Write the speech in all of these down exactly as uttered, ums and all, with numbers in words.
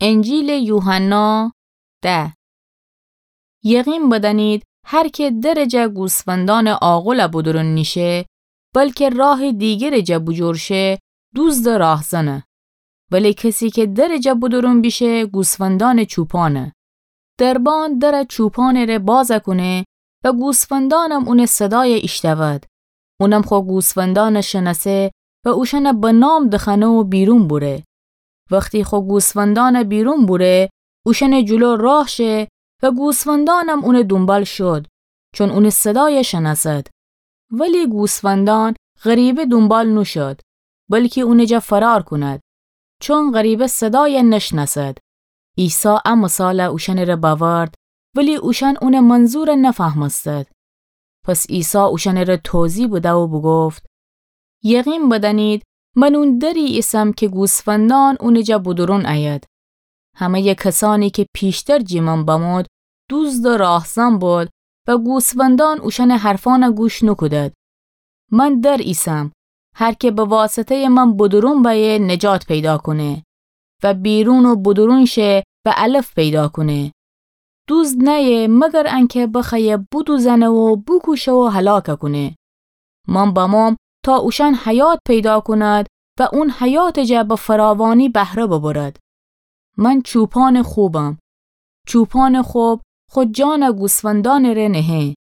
انجیلٚ یوحنا ده. یقین بدأنید، هر کی درٚ جا گوسفندأنٚ عاقلٚ بودورون نیشه، بلکی راهٚ دیگرٚ جا بوجور شه، دوزد و راهزنه. ولی کسی کی درٚ جا بودورون بیشه، گوسفندأنٚ چوپانه. دربان درٚ چوپانٚ ره باز کونه و گوسفندأنم اونٚ صدای ایشتأود. اونم خو گوسفندأن شنأسه و اوشأن به نام دخأنه و بیرون بوره. وختی خو گوسفندأن بیرون بوره، اوشأنٚ جلو راه شه و گوسفندأنم اونٚ دونبال شد، چون اونٚ صدای شنأسد. ولی گوسفندأن غریبه دونبال نوشد، بلکی اونٚ جا فرار کند، چون غریبه صدای نشنأسد. عیسی ا مثال اوشأنٚ ره بأورد، ولی اوشأن اونٚ منظور نفهمستد. پس عیسی اوشأنٚ ره توضیح بده و بوگفت: یقین بدأنید، من اون دری ایسم کی گوسفندأن اونٚ جا بودورون أید. همه‌یٚ کسأنی کی پیشتر جٚه من بمود، دوزد و راهزن بود و گوسفندأن اوشأنٚ حرفأن گوش نوکودد. من در ایسم. هر کی به واسطه‌یٚ من بودورون بأیه، نجات پیدا کونه و بیرون و بودورون شه و علف پیدا کونه. دوزد نأیه مگر انکی بخوأیه بودوزأنه و بوکوشه و هلاک کونه. من بموم تا اوشأن حیات پیدا کند و اون حیاتٚ جا به فراوانی بهره ببرد. من چوپانٚ خوبم. چوپانٚ خوب خو جان گوسفندأنٚ ره نهه.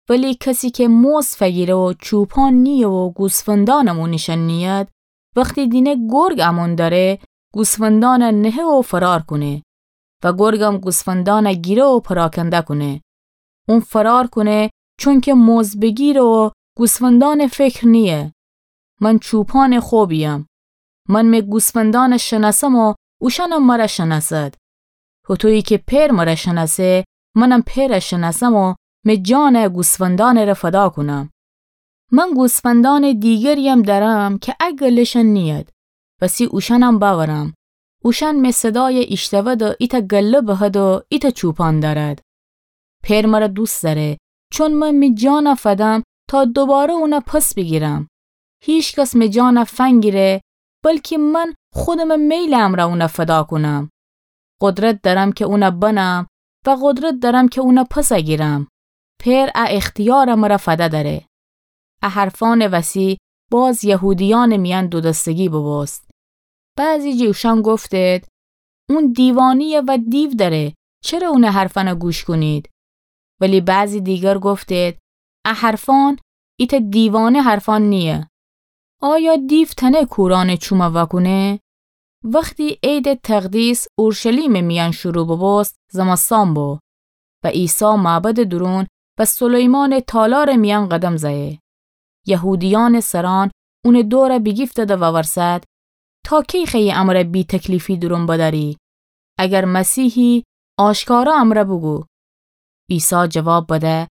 ولی کسی کی مزد فگیره و چوپان نییه و گوسفندأنم اونیشأن نیید، وختی دینه گرگ امون دأره، گوسفندأن نهه و فرار کونه و گرگم گوسفندأن گیره و پراکنده کونه. اون فرار کونه، چونکی مزد بگیره و گوسفندأن فکر نییه. من چوپانٚ خوبیم. من می گوسفندأن شنأسم و اوشأنم مر شنأسد. هوطویی کی پئر مر شنأسه، منم پئر شنأسم و می جان گوسفندأنٚ ره فدا کونم. من گوسفندأنٚ دیگریم دأرم کی ا گله‌شأن نیید، وسی اوشأنم بأورم. اوشأن می صدای ایشتأود و ایتأ گله بهد و ایتأ چوپان دأرد. پئر مر دوست دأره، چون من می جان فدم تا دوباره اون پس بیگیرم. هیکس می جان فنگیره، بلکی من خودمٚ میلٚ امرأ اون فدا کونم. قدرت دأرم کی اون بنم و قدرت دأرم کی اون پس گیرم. پئر ا اختیار مر فده دأره. ا حرفأنٚ وسی باز یهودیأنٚ میأن دودستگی بوبوست. بعضی جٚه اوشأن گفتید: اون دیوانه‌یه و دیو دأره، چره اونٚ حرفأن گوش کونید؟ ولی بعضی دیگر گفتید: ا حرفأن ایتأ دیوانه حرفأن نییه. آیا دیو تأنه کورأنٚ چوم وأکونه؟ وختی عیدٚ تقدیس اورشلیمٚ میأن شروع بوبوست، زمستان بو و عیسی معبدٚ دورون و سلیمانٚ تالارٚ میأن قدم زأیه. یهودیأنٚ سرأن اونٚ دور بیگیفتید و وورسد: تا کی خوأیی امر بی‌تکلیفی دورون بدأری؟ اگر مسیحی، آشکارا امر بوگو. عیسی جواب بده: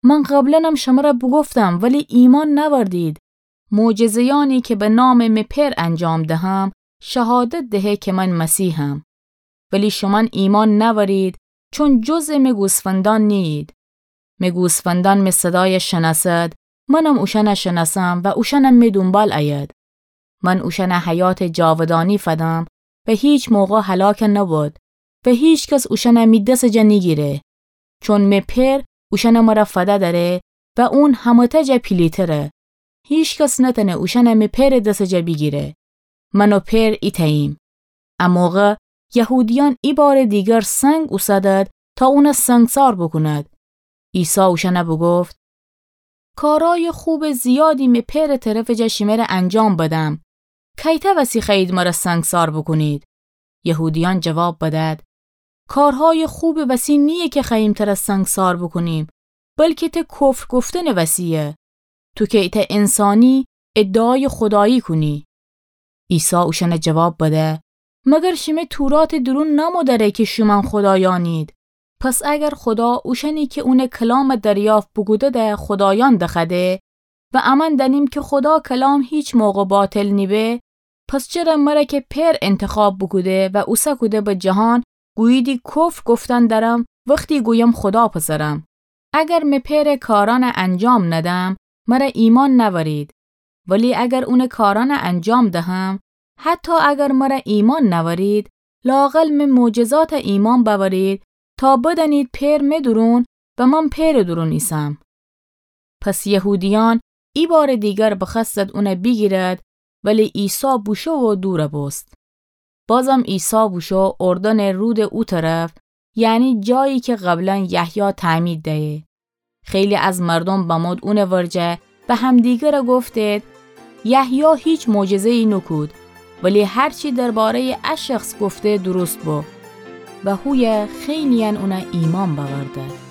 من قبلاً شمر بوگفتم، ولی ایمأن نأوردید. معجزه‌یأنی کی به نامٚ می پئر انجام دهم، شهادت دهه کی من مسیحم. ولی شومأن ایمأن نأورید، چون جزء می گوسفندأن نییید. می گوسفندأن می صدای شنأسد، منم اوشأن شنأسم و اوشأنم می دونبال أید. من اوشأن حیاتٚ جاودانی فدم و هیچ موقع هلاک نبود و هیکس اوشأن می دس جا نیگیره. چون می پئر اوشأن مر فده دأره و اون همه‌تأ جا پیلیتره. هیکس نتأنه اوشأن می پئرٚ دس جا بیگیره. من و پئر ایتأییم. ا موقع یهودیأن ایبارٚ دیگر سنگ اوسدد تا اون سنگسار بوکوند. عیسی اوشأن بوگفت: کارأیٚ خوبٚ زیادی می پئرٚ طرفٚ جا شمر انجام بدم. کیتأ وسی خوأیید مر سنگسار بوکونید؟ یهودیأن جواب بدد: کارهایٚ خوبٚ وسی نییه کی خوأییم تر سنگسار بوکونیم، بلکی ته کفر گفتنٚ وسیه. تو کی ایتأ انسانی ادعایٚ خودایی کونی. عیسی اوشأن جواب بده: مگر شیمه توراتٚ دورون نأمو دأره کی شومأن خودایأنید؟ پس اگر خودا اوشأنی کی اونٚ کلام دریافت بوکوده‌ده خودایأن دخوأده و امأن دأنیم کی خودا کلام هیچ موقع باطل نیبه، پس چره مر کی پئر انتخاب بوکوده و اوسه کوده به جهان گوییدی کفر گفتن درم وختی گویم خودا پسرم؟ اگر می پئرٚ کارأن انجام ندم، مر ایمأن نأورید. ولی اگر اونٚ کارأن انجام دهم، حتی اگر مر ایمأن نأورید، لااقل مه معجزات ایمأن بأورید، تا بدأنید پئر مه دورون و من پئرٚ دورون ایسم. پس یهودیأن ایبارٚ دیگر بخوأستد اونَ بیگیرد، ولی عیسی بوشو و دورَ بوست. بازم عیسی بوشو اردنٚ رودٚ او طرف، یعنی جایی که قبلاً یحیی تعمید دیه. خیلی از مردوم بمود اونٚ ورجه و همدیگرَ گفتید: یحیی هیچ معجزه‌یی نوکود، ولی هر چی درباره‌یٚ ا شخص گفته درست بو. و هویه خیلی‌یأن اونَ ایمأن بأورده.